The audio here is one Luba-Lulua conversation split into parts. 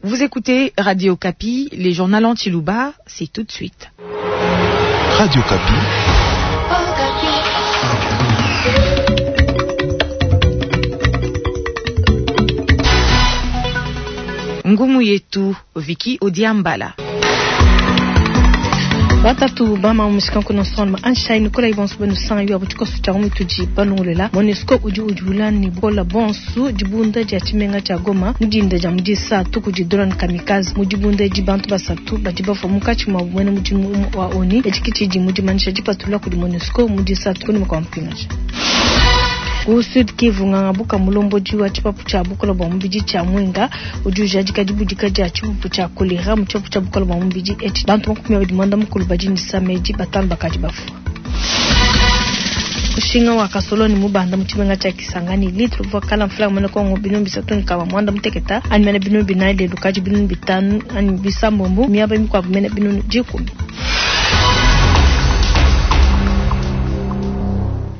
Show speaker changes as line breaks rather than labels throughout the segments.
Vous écoutez Radio Okapi, les journaux en Tshiluba, c'est tout de suite.
Radio Okapi.
Ngumu yetu Viki Odiambala.
Batatu bama mushikanku nsonma anshayi nikola ibonso benu sanyu abu tshikoso tshia mutudi balongolela MONUSCO udi udiula ne bukola bonso dibunda dia tshimenga tshia Goma mu dinda dia mu disatu kudi drone kamikaze mu dibunda edi bantu basatu badi bafua munkatshi mua muena mudimu umue wa ONU etshi ke tshidi mu dimanyisha dipatula kudi MONUSCO mu disatu kunyima kua mupingaja Ku Sud Kivu, nganga buka mulombodi wa tshipapu tshia bukola bua mubidi tshia Mwenga udi ujadika dibudika dia tshipupu tshia kolera mu tshipapu tshia bukola bua mubidi etshi. Bantu 28 badi ne disama edi, batanu bakadi bafua. Mushinga wa kasoloni mubanda mu tshimenga tshia Kisangani, litre uvua kala mfranga muena Kongo 360 anyi mene 400 lelu kadi 500 anyi bisambombo, miaba mikuabu mene 10.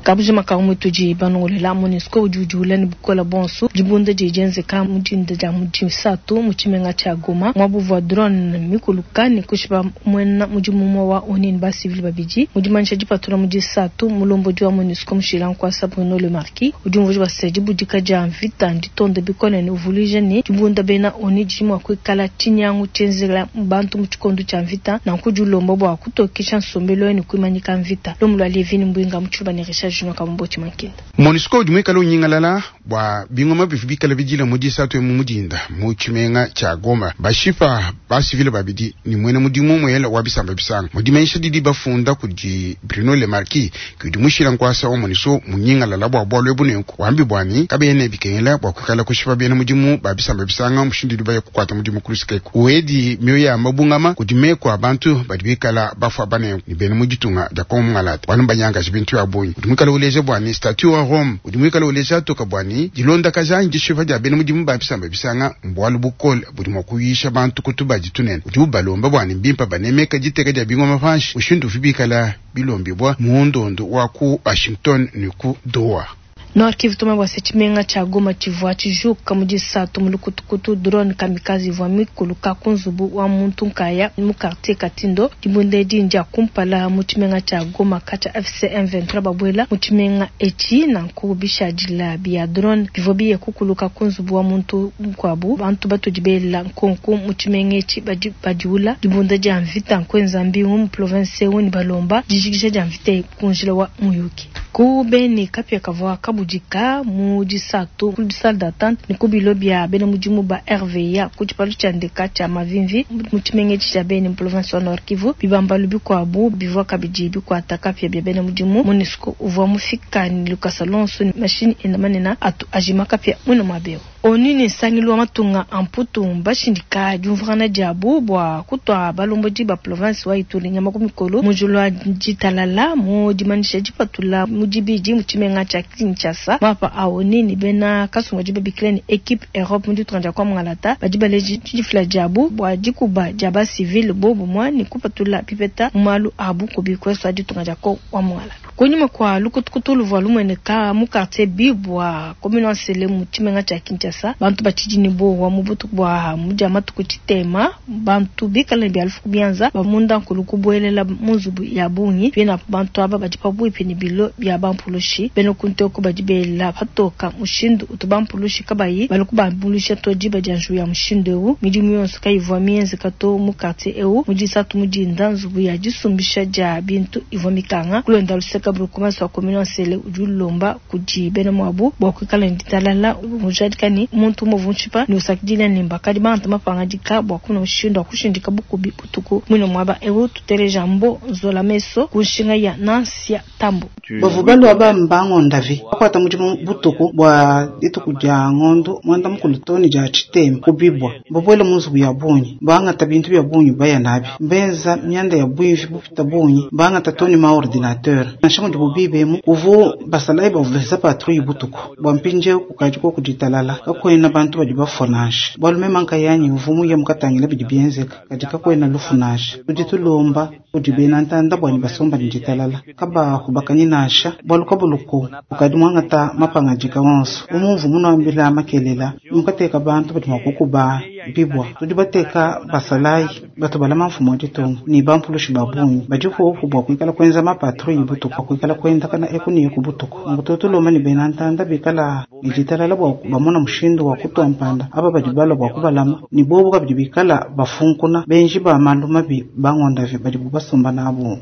Kabujima ka mutudi banongolela MONUSCO udi udiula ne bukola bonso dibunda didi dienzeka mu dinda dia mu disatu mu tshimenga tshia Goma muaba uvua drone mikuluka ne kushipa muena mudimu umue wa ONU ne basivile babidi. Mu dimanyisha dipatula mu disatu, mulombodi wa MONUSCO mushila nkuasa Bruno Lemarquis udi umvuija bua se, dibudika dia mvita nditonde bikole ne uvuluija ne, dibunda bena ONU didi mua kuikala tshinyangu tshienzela bantu mu tshikondo tshia mvita, nanku udi ulomba bua kutokesha nsombelu ne kuimanyika mvita. Lumu lua Levine Mbwinga mu Tshiluba ne Richard Junior Kamumboti Mankinda.
MONUSCO udi muikale unyingalala bua bingoma bivua bikale bidila mu disatu emu mu dinda mu tshimenga tshia Goma, bashipa basivile babidi ne muena mudimu muela wa bisamba bisanga. Mu dimanyisha didi bafunda kudi Bruno Lemarquis ke udi mushila nkuasa wa MONUSCO munyingalala bua bualu ebu nenku wambi bua ne kabena bikengela bua kuikala kushipa bena mudimu ba bisamba bisanga mushindu udi baya kukuata mudimu ku luseke eku. Wedi mioyo ya mabungama kudi meku a bantu badi bikala bafua banenku ne bena mu ditunga dia Kongo mungalata bualu mbanyangaje bintu bia bungi. Udi muikale uleja bua ne statut wa Rome udi muikale uleja toka bua ne dilondakaja anyi dishipa dia bena mudimu ba bisamba bisanga mbualu bukole budi mua kuyisha bantu ku tubadi tunene. Udi ubalomba bua ne mbimpe banemeka diteka dia bingoma panshi mushindu uvi bikala bilombibua mu ndondu wa ku Washington ne ku Doha.
Nord Kivu tumanye bua se tshimenga tshia Goma tshivua tshijuka mu disatu mu lukutukutu drone kamikaze ivua mikuluka ku nzubu wa muntu nkaya mu quartier Katindo. Dibunda edi ndia kumpala mu tshimenga tshia Goma katshia AFC M23 babuela mu tshimenga etshi. Nanku bishadila bia drone bivua biye kukuluka ku nzubu wa muntu mukuabu. Bantu batudi bela nkonku mu tshimenga etshi badi badiula dibunda dia mvita nkuenza mbingu mu province eu ne balomba dijikija dia mvita eyi ku njila wa muyuki. Ku Beni, kapia kavua kabudika mu disatu ku salle d'attente ne ku bilo bia bena mudimu ba RVA ku tshipalu tshia ndeka tshia Mavimvi mu tshimenga etshi tshia Beni mu province wa Nord Kivu. Bibambalu bikuabu bivua kabidi bikuata kapia bia bena mudimu. Monusco uvua mufika ne lukasa luonso ne mashinyi enda manene atu ajima kapia muine muaba eu. ONU ne Nsangilu wa matunga a Mputu mbashindika diumvuangana diabu bua kutua balombodi ba polovense wa Ituri nyama ku mikolo mu njila wa ditalala. Mu dimanyisha dipatula mu dibidi mu tshimenga tshia Kinshasa, mapa a ONU ne bena kasumbu kadibu babikila ne, Equipe Europe mu ditunga dia kua Mungalata badi baleja didifila diabu bua dikuba dia ba civile bobumue ne kupatula bipeta mu malu a bukubi kuesu a ditunga dia kua Mungalata. Kunyima kua lukutukutu luvua lumueneka mu kartie Bibwa, commune wa Nsele mu tshimenga tshia Kinshasa, bantu batshidi ne buowa mu butuku bua mu dia matuku tshitema, bantu bikale ne bia lufu ku bianza ba munda nkulu kubuelela mu nzubu ya bungi. Pinapu bantu aba badi pabuipi ne bilo bia bampulushi. Bena ku nteku badi bela patoka mushindu utu bampulushi kabayi balue kubambuluisha to diba dia njiwu ya mushindu eu. Midimu yonso kayivua mienzeka to mu kartie eu. Mu disatu mu dinda, nzubu ya disumbisha dia bintu ivua mikanga. Ku luenda luseke, burgomestre wa commune wa Nsele udi ulomba kudi bena muabu bua kuikala ne ditalala, ujadika ne, muntu umue uvua mutshipa ne usakidila ne, bakadi bangata mapangadika bua kumona mushindu wa kushindika bukubi butuku muine muaba eu. Tuteleja Mbo Nzola Meso ku nshinga ya Nancia Tambo.
Bavua balua bamba ngondavi, bakuata mudimu butuku bua dituku dia ngondu muanda mukulu too ne dia tshitema ku bibua. Mbabuele mu nzubu ya bungi, bangata bintu bia bungi baya nabi. Mbenza mianda ya buivi bupita bungi, bangata too ne ma-ordinatere. Nansha mudibu biba emu, kuvua basalayi bavua benza patrouille butuku. Bua mpindieu kukadi koku ditalala, kakuena bantu badi bafua nansha. Bualu meme nkayanyi mvua muye mukatangila bidi bienzeka, kadi kakuena lufu nansha. Tudi tulomba kudi bena ntanda bua ne basomba ne ditalala, kabahubakanyi nansha, bualu kabuluku bukadi muangata mapangadika onso. Bu mumvua munuambila makelela, mukateka bantu badi mua kukuba. bibwa. Tudi bateka basalayi batu balama mfumu wa ditunga ne bampulushi ba bungi badi popo bua kuikala kuenza mapatrouille butuku, bua kuikala kuendakana eku ne eku butuku. Nunku tudi tulomba ne bena ntanda bikala ne ditalala bua bamona mushindu wa kutua mpanda aba badi balua bua kubalama, ne bobu kabidi bikala bafunkuna benji ba malu mabi bangondavi badibu basomba nabu.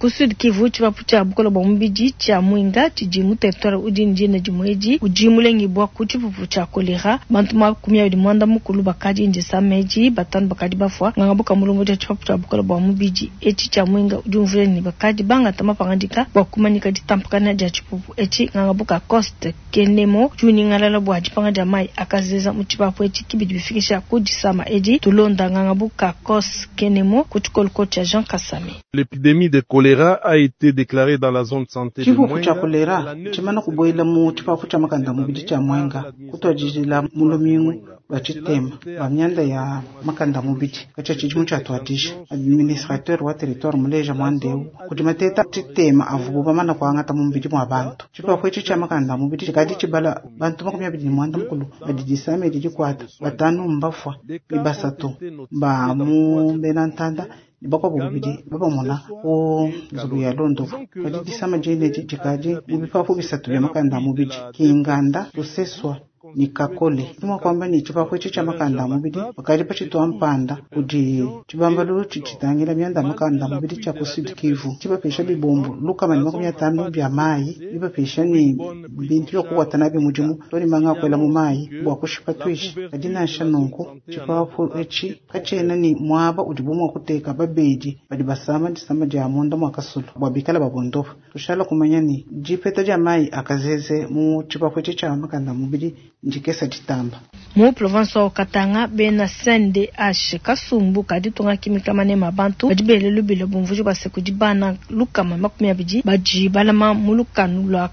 Ku Sud Kivu, tshipapu tshia bukole bua mubidi tshia Mwenga tshidi mu territoire udi ne dina dimue edi udi mulengibua ku tshipupu tshia kolera. Bantu 24 bakadi ndisama edi, 5 bakadi bafua. Nganga buka mulombodi wa tshipapu tshia bukole bua mubidi etshi tshia Mwenga udi umvuija ne bakadi bangata mapangadika bua kumanyika ditampakana dia tshipupu etshi. Nganga buka Coste Kenemo udi unyingalala bua dipanga dia mayi akazeza mu tshipapu etshi kibidi bifikisha ku disama edi. Tulonda nganga buka Coste Kenemo ku tshikoloko tshia Jean Kasami.
L'épidémie de choléra a été déclarée dans la zone de santé de
Tshipupu tshia
Mwenga.
kolera tshimana kubuela mu tshipapu tshia makanda mubidi tshia Mwenga kutuadijila mu lumingu lua tshitema lua mianda ya makanda mubidi katshia tshidimu tshiatuadija. Administrateur wa territoire muleja muandeu kudi mateta tshitema avubu bamana kuangata mu mubidi mua bantu. Tshipapu etshi tshia makanda mubidi tshikadi tshibala bantu 29 badi disama edi dikuata, 5 mbafua ne 3 ba mu bena ntanda ne bakuabu babidi babamona ku nzubu ya londopu. Kadi disama diene edi dikadi mu bipapu 3 bia makanda mubidi Kinganda, Luseswa ne Kakole. Ndi kuamba ne tshipapu etshi tshia makanda mubidi bakadi patshitua mpanda kudi tshibambalu tshitangila mianda ya makanda mubidi tshia ku Sud Kivu tshibapesha bibombo 150 bia mayi, bibapesha ne bintu bia kukuata nabi mudimu to ne manga akuela mu mayi bua kushipa tuishi. Kadi nansha nunku tshipapu etshi katshiena ne muaba udibu mua kuteka babedi badi basama disama dia munda mua kasulu bua bikala babondopa. Tushala kumanya ne dipeta dia mayi akazeze mu tshipapu etshi tshia makanda mubidi ndikesa ditamba.
Mu province wa Katanga bena CNDH kasumbu kaditunga kimika manema bantu badi bele lubile bumvuji bua se kudi bana 120 badi balama mu lukanu lua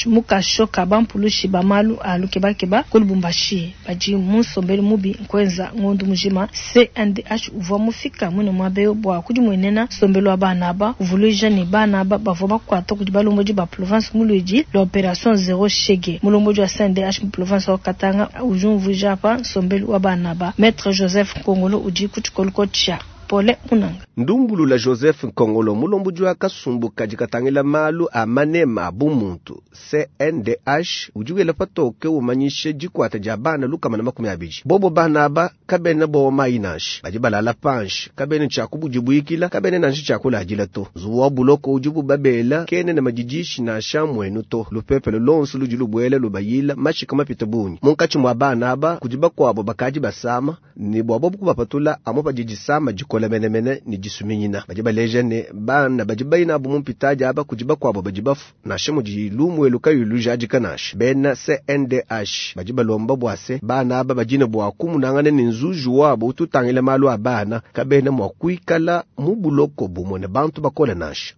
mukasho ka bampulushi ba malu a lukebakeba ku Lubumbashi badi mu nsombelu mubi nkwenza ngondu mujima. CNDH uvua mufika mwine muabe bua kudimuenena nsombelu wa bana aba uvuluija ne bana aba bavua bakuata kudi balombodi ba province muludi la opération zéro shege. Mulombodi wa CNDH mu province wa Katanga udi umvuija apa nsombelu wa bana aba. Maître Joseph Nkongolo udi ku tshikoloko tshia Pole Munanga.
Ndumbulula Joseph Nkongolo mulombodi wa kasumbu kadi katangila malu a manema a bumuntu CNDH udi wela patoke umanyishe dikuata dia bana 120. Bobo bana aba kabena bowa mayi nansha badi balala panshi kabena tshiakubudibuikila kabena nansha tshiakuladila to. Nzubu wa buloko udi bubabela kene na madidishi nansha muenu to. Lupepele lonso ludi lubuela lubayila mashika mapita bungi munkatshi mua bana aba kudi bakuabo bakadi basama ne bua bobo kubapatula amu padi disama dikola menemene ne disuminyina. Badi baleja ne bana badi bayina abu mumpitadi aba kudi bakuabo badi bafu nansha mudi lumuelu kayi lujadika nansha. Bena CNDH badi balomba bua se bana aba badine bua kumunangana ne nzuji wabo ututangila malu a bana kabena mua kuikala mu buloko bumue ne bantu bakole nansha.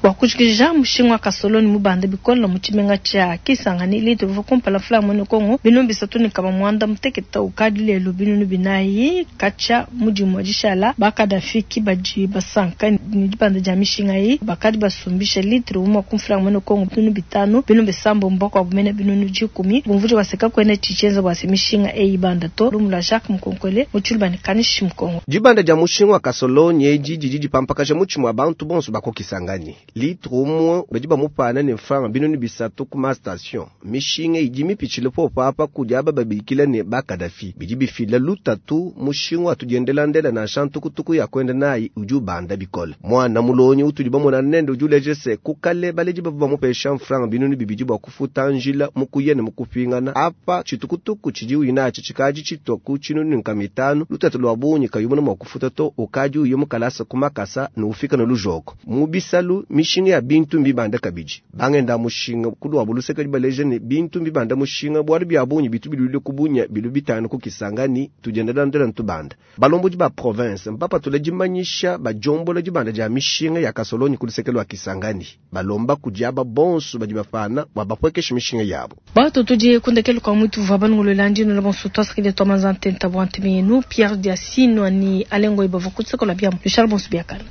Bua kujikija mushinga wa kasoloni mubanda bikola mu tshimenga tshia Kisangani litre uvua kumpala mfula mu Kongo 386 ukadi lelu 400 katshia mudimu wa dishala bakadafiki badi basanka ne dibanda dia mishinga yi bakadi basumbisha litre umwe ku mfula mu Kongo 500 700 mbako abumene 10 bumvuji baseka kwene tshichenza bwase mishinga eyi banda to lumula Jacques Mukonkole mu tshilubani kanishi Mukongo.
Dibanda dia mushinga wa kasoloni edi didi dipampakaja mutshima wa bantu bonso bako Kisangani. Litre umwe badi bamupana ne mfranga 300 ku ma station. Mishinga idi mipitshile popo apa kudi aba babikila ne bakadafi. Bidi bifila lutatu mushinga atudiendelandela nansha ntukutuku ya kwenda nayi udi ubanda bikole. Mwana mulonyi utudi bamona nende udi uleja se kukale baledi bavua bamupesha mfranga 200 bua kufuta njila mukuye ne mukupingana. Apa tshitukutuku tshidi uyinatshi tshikadi tshitua ku 500 lutatu lua bungi kayumuna mua kufuta to ukadi uye mukalasa ku makasa ne ufika ne lujoko. Mu bisalu mishinga ya bintu mbibanda kabidi. Bangenda mushinga kulwa buluseka dibaleja ne bintu mbibanda mushinga bwalu bya bungi bitu bilule kubunya bilu 5 ku Kisangani tujendelandela ntubanda. Balombodi ba province mpapa tuladimanyisha bajombola dibanda dia mishinga ya kasoloni kuluseka lwa Kisangani. Balomba kudiaba bonso badi bafana bwa bapwekesha mishinga yabo.
Bato tudi kundekelo kwa mutu va balungolola ndino la bonso twasakile twa manzante ntabwa ntemenu Pierre Diasino ni alengo ibavu kutsekola bya Richard Bonso biakala.